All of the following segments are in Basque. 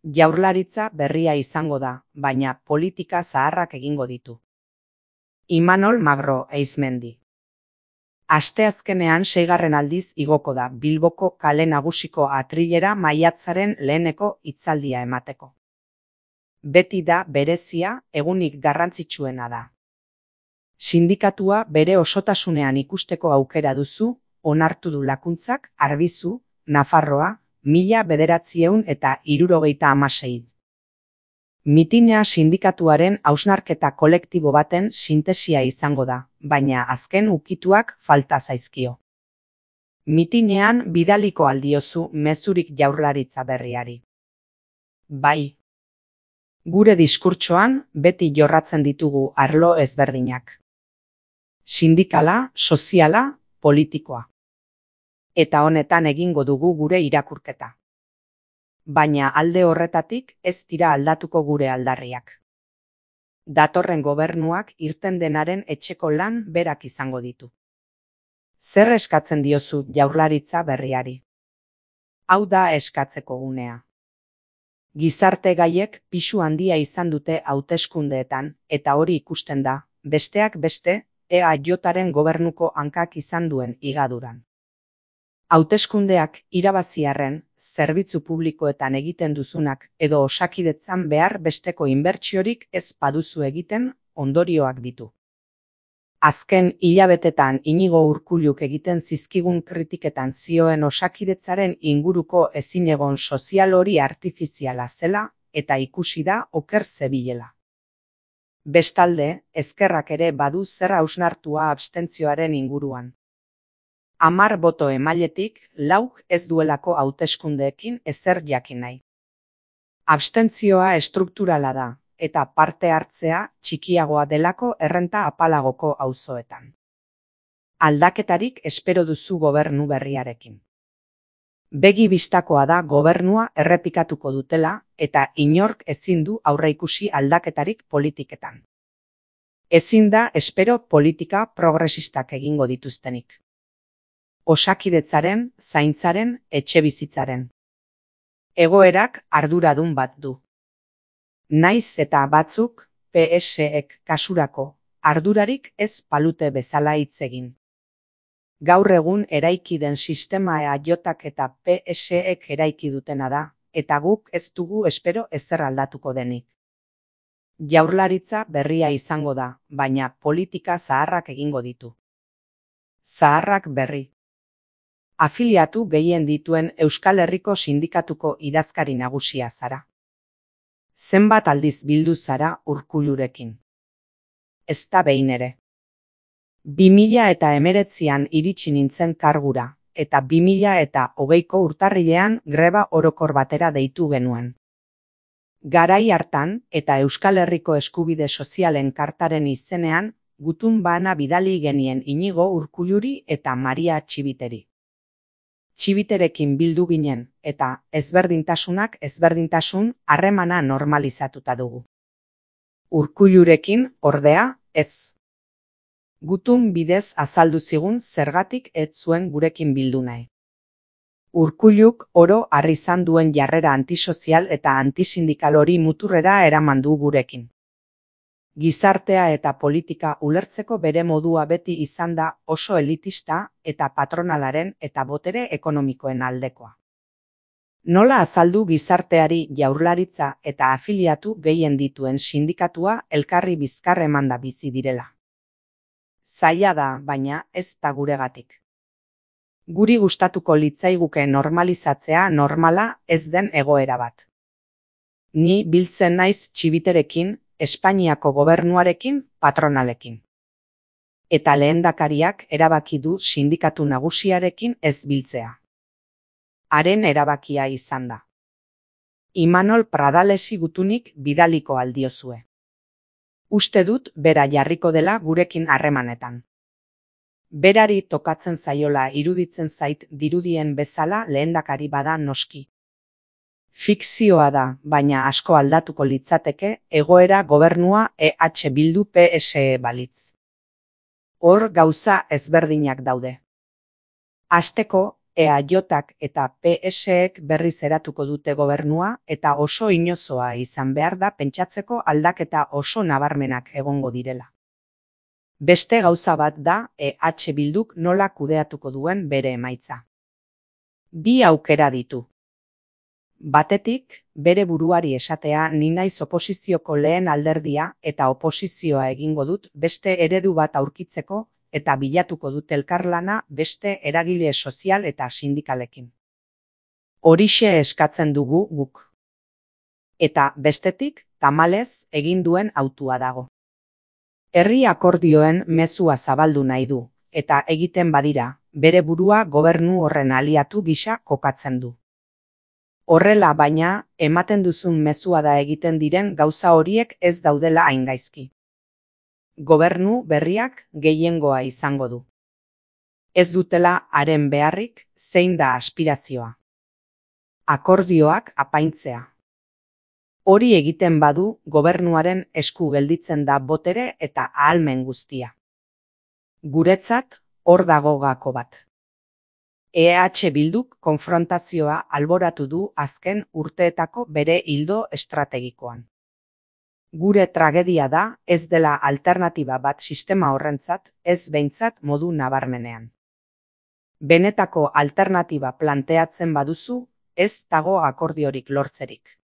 Jaurlaritza berria izango da, baina politika zaharrak egingo ditu. Imanol Magro Eizmendi. Asteazkenean 6. aldiz igoko da Bilboko kale nagusiko atrilera maiatzaren leheneko hitzaldia emateko. Beti da berezia, egunik garrantzitsuena da. Sindikatua bere osotasunean ikusteko aukera duzu, onartu du Lakuntzak, Arbizu, Nafarroa, 1976. Mitinea sindikatuaren hausnarketa kolektibo baten sintesia izango da, baina azken ukituak falta zaizkio. Mitinean bidaliko aldiozu mezurik Jaurlaritza berriari. Bai. Gure diskurtsoan beti jorratzen ditugu arlo ezberdinak. Sindikala, soziala, politikoa. Eta honetan egingo dugu gure irakurketa. Baina alde horretatik ez dira aldatuko gure aldarriak. Datorren gobernuak irten denaren etxeko lan berak izango ditu. Zer eskatzen diozu Jaurlaritza berriari? Hau da eskatzeko unea. Gizarte gaiek pisu handia izan dute hauteskundeetan, eta hori ikusten da, besteak beste, EAJaren gobernuko hankak izan duen higaduran. Hauteskundeak irabaziarren, zerbitzu publikoetan egiten duzunak edo Osakidetzan behar besteko inbertsiorik ez baduzu egiten ondorioak ditu. Azken hilabetetan Inigo Urkulluk egiten zizkigun kritiketan zioen Osakidetzaren inguruko ezinegon sozial hori artifiziala zela eta ikusi da oker zebilela. Bestalde, ezkerrak ere badu zer hausnartua abstentzioaren inguruan. 10 boto emailetik 4 ez duelako hauteskundeekin ezer jakin nahi. Abstentzioa estrukturala da, eta parte hartzea txikiagoa delako errenta apalagoko auzoetan. Aldaketarik espero duzu gobernu berriarekin. Begi bistakoa da gobernua errepikatuko dutela eta inork ezin du aurreikusi aldaketarik politiketan. Ezin da espero politika progresistak egingo dituztenik. Osakidetzaren, zaintzaren, etxebizitzaren. Egoerak arduradun bat du. Naiz eta batzuk, PSek kasurako, ardurarik ez palute bezala hitz egin. Gaur egun eraiki den sistema EAJak eta PSek eraiki dutena da, eta guk ez dugu espero ezer aldatuko denik. Jaurlaritza berria izango da, baina politika zaharrak egingo ditu. Zaharrak berri. Afiliatu gehien dituen Euskal Herriko sindikatuko idazkari nagusia zara. Zenbat aldiz bildu zara Urkullurekin? Ez da behin ere. 2019an iritsi nintzen kargura, eta 2020ko urtarrilean greba orokor batera deitu genuen. Garai hartan eta Euskal Herriko eskubide sozialen kartaren izenean, gutun bana bidali genien Inigo Urkulluri eta Maria Txibiteri. Txibiterekin bildu ginen, eta ezberdintasunak ezberdintasun harremana normalizatuta dugu. Urkullurekin, ordea, ez. Gutun bidez azaldu zigun zergatik ez zuen gurekin bildu nahi. Urkulluk oro har izan duen jarrera antisozial eta antisindikal hori muturrera eraman du gurekin. Gizartea eta politika ulertzeko bere modua beti izan da oso elitista eta patronalaren eta botere ekonomikoen aldekoa. Nola azaldu gizarteari Jaurlaritza eta afiliatu gehien dituen sindikatua elkarri bizkar emanda bizi direla? Zaila da, baina ez da guregatik. Guri gustatuko litzaiguke normalizatzea normala ez den egoera bat. Ni biltzen naiz Txibiterekin, Espainiako gobernuarekin, patronalekin. Eta lehendakariak erabaki du sindikatu nagusiarekin ez biltzea. Haren erabakia izan da. Imanol Pradalesi gutunik bidaliko aldiozue. Uste dut bera jarriko dela gurekin harremanetan. Berari tokatzen zaiola iruditzen zait dirudien bezala lehendakari bada noski. Fikzioa da, baina asko aldatuko litzateke egoera gobernua EH Bildu PSE balitz. Hor gauza ezberdinak daude. Hasteko, EAJak eta PSek berriz eratuko dute gobernua eta oso inozoa izan behar da pentsatzeko aldaketa oso nabarmenak egongo direla. Beste gauza bat da EH Bilduk nola kudeatuko duen bere emaitza. Bi aukera ditu. Batetik, bere buruari esatea ni naiz oposizioko lehen alderdia eta oposizioa egingo dut beste eredu bat aurkitzeko eta bilatuko dut elkarlana beste eragile sozial eta sindikalekin. Horixe eskatzen dugu guk. Eta bestetik, tamalez egin duen hautua dago. Herri akordioen mezua zabaldu nahi du, eta egiten badira, bere burua gobernu horren aliatu gisa kokatzen du. Horrela baina, ematen duzun mezua da egiten diren gauza horiek ez daudela hain gaizki. Gobernu berriak gehiengoa izango du. Ez dutela haren beharrik, zein da aspirazioa. Akordioak apaintzea. Hori egiten badu, gobernuaren esku gelditzen da botere eta ahalmen guztia. Guretzat, hor dago gako bat. EH Bilduk konfrontazioa alboratu du azken urteetako bere ildo estrategikoan. Gure tragedia da ez dela alternatiba bat sistema horrentzat, ez behintzat modu nabarmenean. Benetako alternatiba planteatzen baduzu, ez dago akordiorik lortzerik.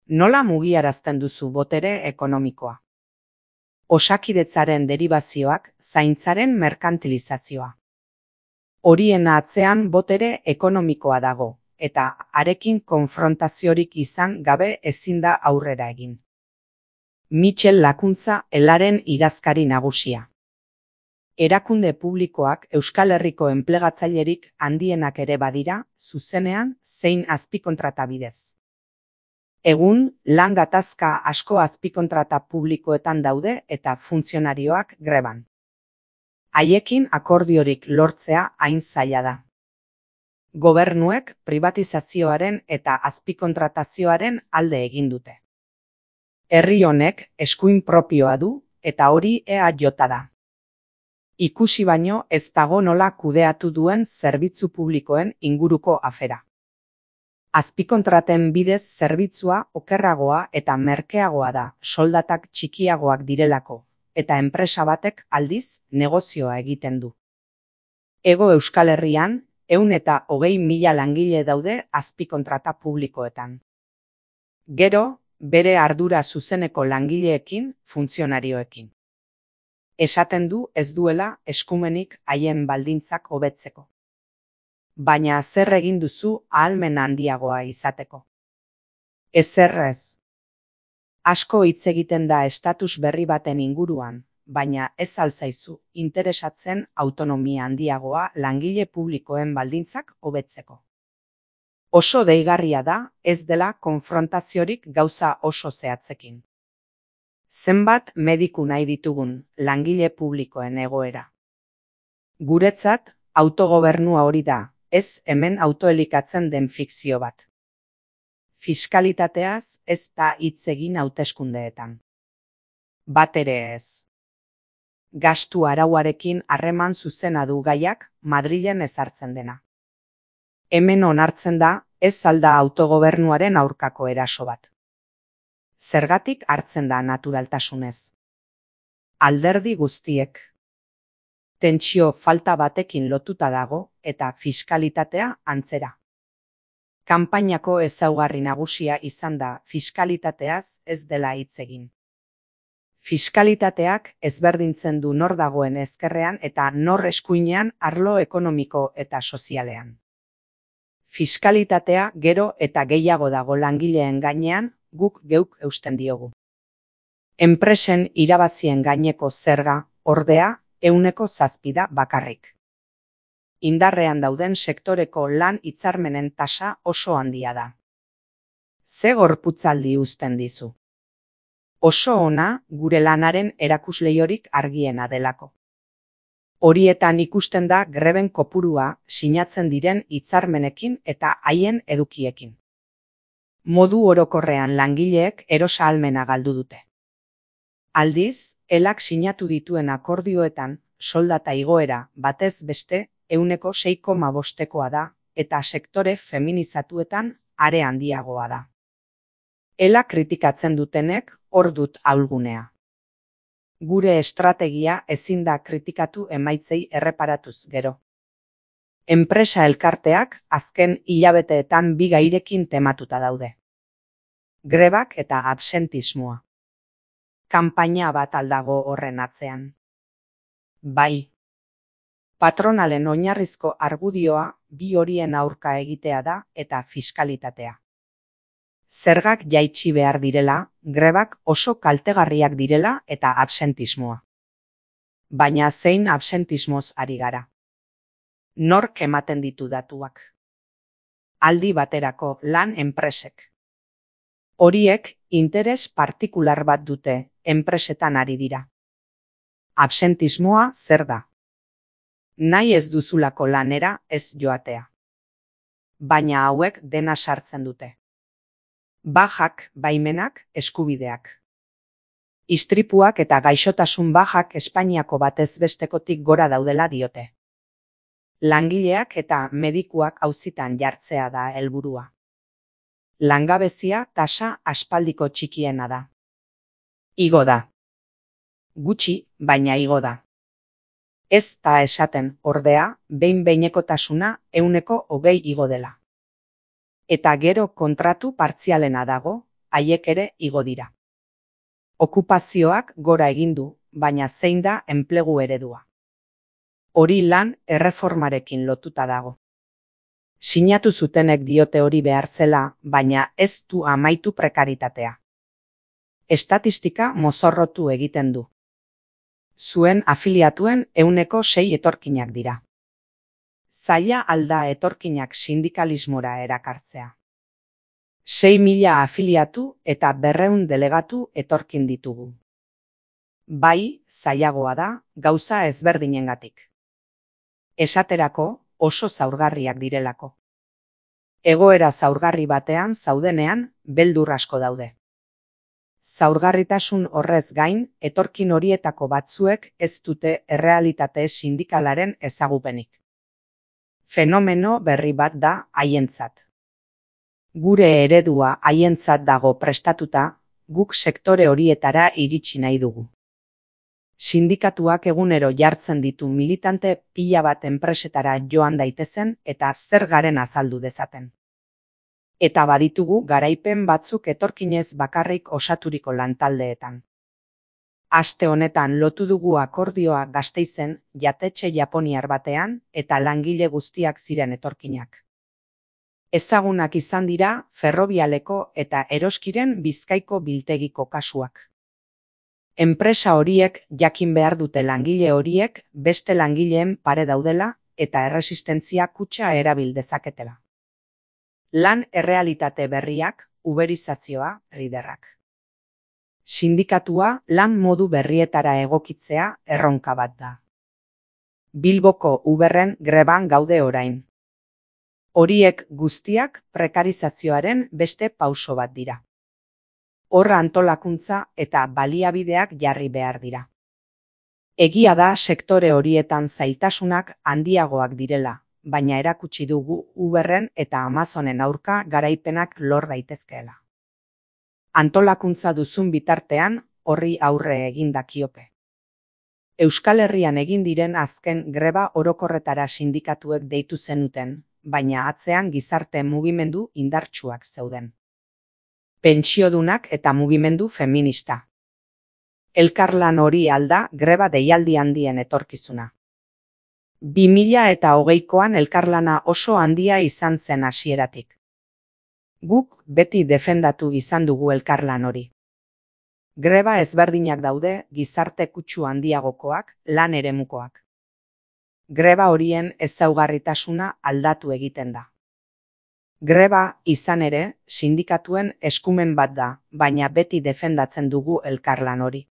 Nola mugiarazten duzu botere ekonomikoa? Osakidetzaren deribazioak, zaintzaren merkantilizazioa. Horien atzean botere ekonomikoa dago, eta harekin konfrontaziorik izan gabe ezin da aurrera egin. Michel Lakuntza Elaren idazkari nagusia. Erakunde publikoak Euskal Herriko enplegatzailerik handienak ere badira, zuzenean zein azpikontrata bidez. Egun, lan gatazka asko azpikontrata publikoetan daude eta funtzionarioak greban. Haiekin akordiorik lortzea hain zaila da. Gobernuek privatizazioaren eta azpikontratazioaren alde egin dute. Herri honek eskuin propioa du eta hori EAJ da. Ikusi baino ez dago nola kudeatu duen zerbitzu publikoen inguruko afera. Azpikontraten bidez zerbitzua okerragoa eta merkeagoa da, soldatak txikiagoak direlako, eta enpresa batek aldiz negozioa egiten du. Hego Euskal Herrian, 120.000 langile daude azpikontrata publikoetan. Gero, bere ardura zuzeneko langileekin, funtzionarioekin. Esaten du ez duela eskumenik haien baldintzak hobetzeko. Baina zer egin duzu ahalmen handiagoa izateko? Ezer ez. Asko hitz egiten da estatus berri baten inguruan, baina ez alzaizu interesatzen autonomia handiagoa langile publikoen baldintzak hobetzeko. Oso deigarria da ez dela konfrontaziorik gauza oso zehatzekin. Zenbat mediku nahi ditugun langile publikoen egoera. Guretzat, autogobernua hori da, ez hemen autoelikatzen den fikzio bat. Fiskalitateaz ez da hitz egin hauteskundeetan. Bat ere ez. Gastu arauarekin harreman zuzena du gaiak Madrilen ezartzen dena. Hemen onartzen da ez alda autogobernuaren aurkako eraso bat. Zergatik hartzen da naturaltasunez. Alderdi guztiek. Tentsio falta batekin lotuta dago eta fiskalitatea antzera. Kanpainako ezaugarri nagusia izan da fiskalitateaz ez dela hitz egin. Fiskalitateak ezberdintzen du nor dagoen ezkerrean eta nor eskuinean arlo ekonomiko eta sozialean. Fiskalitatea gero eta gehiago dago langileen gainean, guk geuk eusten diogu. Enpresen irabazien gaineko zerga, ordea, 7% da bakarrik. Indarrean dauden sektoreko lan hitzarmenen tasa oso handia da. Ze gorputzaldi uzten dizu? Oso ona gure lanaren erakusleiorik argiena delako. Horietan ikusten da greben kopurua sinatzen diren hitzarmenekin eta haien edukiekin. Modu orokorrean langileek erosahalmena galdu dute. Aldiz, elak sinatu dituen akordioetan soldata igoera batez beste 6,5%koa da, eta sektore feminizatuetan are handiagoa da. Ela kritikatzen dutenek hor dut ahulgunea. Gure estrategia ezin da kritikatu emaitzei erreparatuz gero. Enpresa elkarteak azken hilabeteetan bi gairekin tematuta daude. Grebak eta absentismoa. Kanpaina bat aldago horren atzean. Bai. Patronalen oinarrizko argudioa bi horien aurka egitea da eta fiskalitatea. Zergak jaitsi behar direla, grebak oso kaltegarriak direla eta absentismoa. Baina zein absentismoz ari gara? Nork ematen ditu datuak? Aldi baterako lan enpresek. Horiek interes partikular bat dute, enpresetan ari dira. Absentismoa zer da? Nahi ez duzulako lanera ez joatea. Baina hauek dena sartzen dute. Bajak, baimenak, eskubideak. Istripuak eta gaixotasun bajak Espainiako batez bestekotik gora daudela diote. Langileak eta medikuak auzitan jartzea da helburua. Langabezia tasa aspaldiko txikiena da. Igo da. Gutxi, baina igo da. Ez da esaten, ordea, behin-behinekotasuna 20% igo dela. Eta gero kontratu partzialena dago, haiek ere igo dira. Okupazioak gora egin du, baina zein da enplegu eredua. Hori lan erreformarekin lotuta dago. Sinatu zutenek diote hori behar zela, baina ez du amaitu prekaritatea. Estatistika mozorrotu egiten du. Zuen afiliatuen 6% etorkinak dira. Zaila alda etorkinak sindikalismora erakartzea. 6.000 afiliatu eta 200 delegatu etorkin ditugu. Bai, zailagoa da, gauza ezberdinengatik. Esaterako, oso zaurgarriak direlako. Egoera zaurgarri batean zaudenean, beldur asko daude. Zaurgarritasun horrez gain, etorkin horietako batzuek ez dute errealitate sindikalaren ezagupenik. Fenomeno berri bat da haientzat. Gure eredua haientzat dago prestatuta, guk sektore horietara iritsi nahi dugu. Sindikatuak egunero jartzen ditu militante pila bat enpresetara joan daitezen eta zer garen azaldu dezaten. Eta baditugu garaipen batzuk etorkinez bakarrik osaturiko lantaldeetan. Aste honetan lotu dugu akordioa Gasteizen jatetxe japoniar batean eta langile guztiak ziren etorkinak. Ezagunak izan dira Ferrobialeko eta Eroskiren Bizkaiko biltegiko kasuak. Enpresa horiek jakin behar dute langile horiek beste langileen pare daudela eta erresistentzia kutxa erabil dezaketela. Lan errealitate berriak, uberizazioa, riderrak. Sindikatua lan modu berrietara egokitzea erronka bat da. Bilboko Uberren greban gaude orain. Horiek guztiak prekarizazioaren beste pauso bat dira. Horra antolakuntza eta baliabideak jarri behar dira. Egia da sektore horietan zailtasunak handiagoak direla, baina erakutsi dugu Uberren eta Amazonen aurka garaipenak lor daitezkeela. Antolakuntza duzun bitartean horri aurre egin dakioke. Euskal Herrian egin diren azken greba orokorretara sindikatuek deitu zenuten, baina atzean gizarte mugimendu indartsuak zeuden. Pentsiodunak eta mugimendu feminista. Elkarlan hori alda greba deialdi handien etorkizuna. 2020koan elkarlana oso handia izan zen hasieratik. Guk beti defendatu izan dugu elkarlan hori. Greba ezberdinak daude gizarte kutsu handiagokoak, lan eremukoak. Greba horien ezaugarritasuna aldatu egiten da. Greba, izan ere, sindikatuen eskumen bat da, baina beti defendatzen dugu elkarlan hori.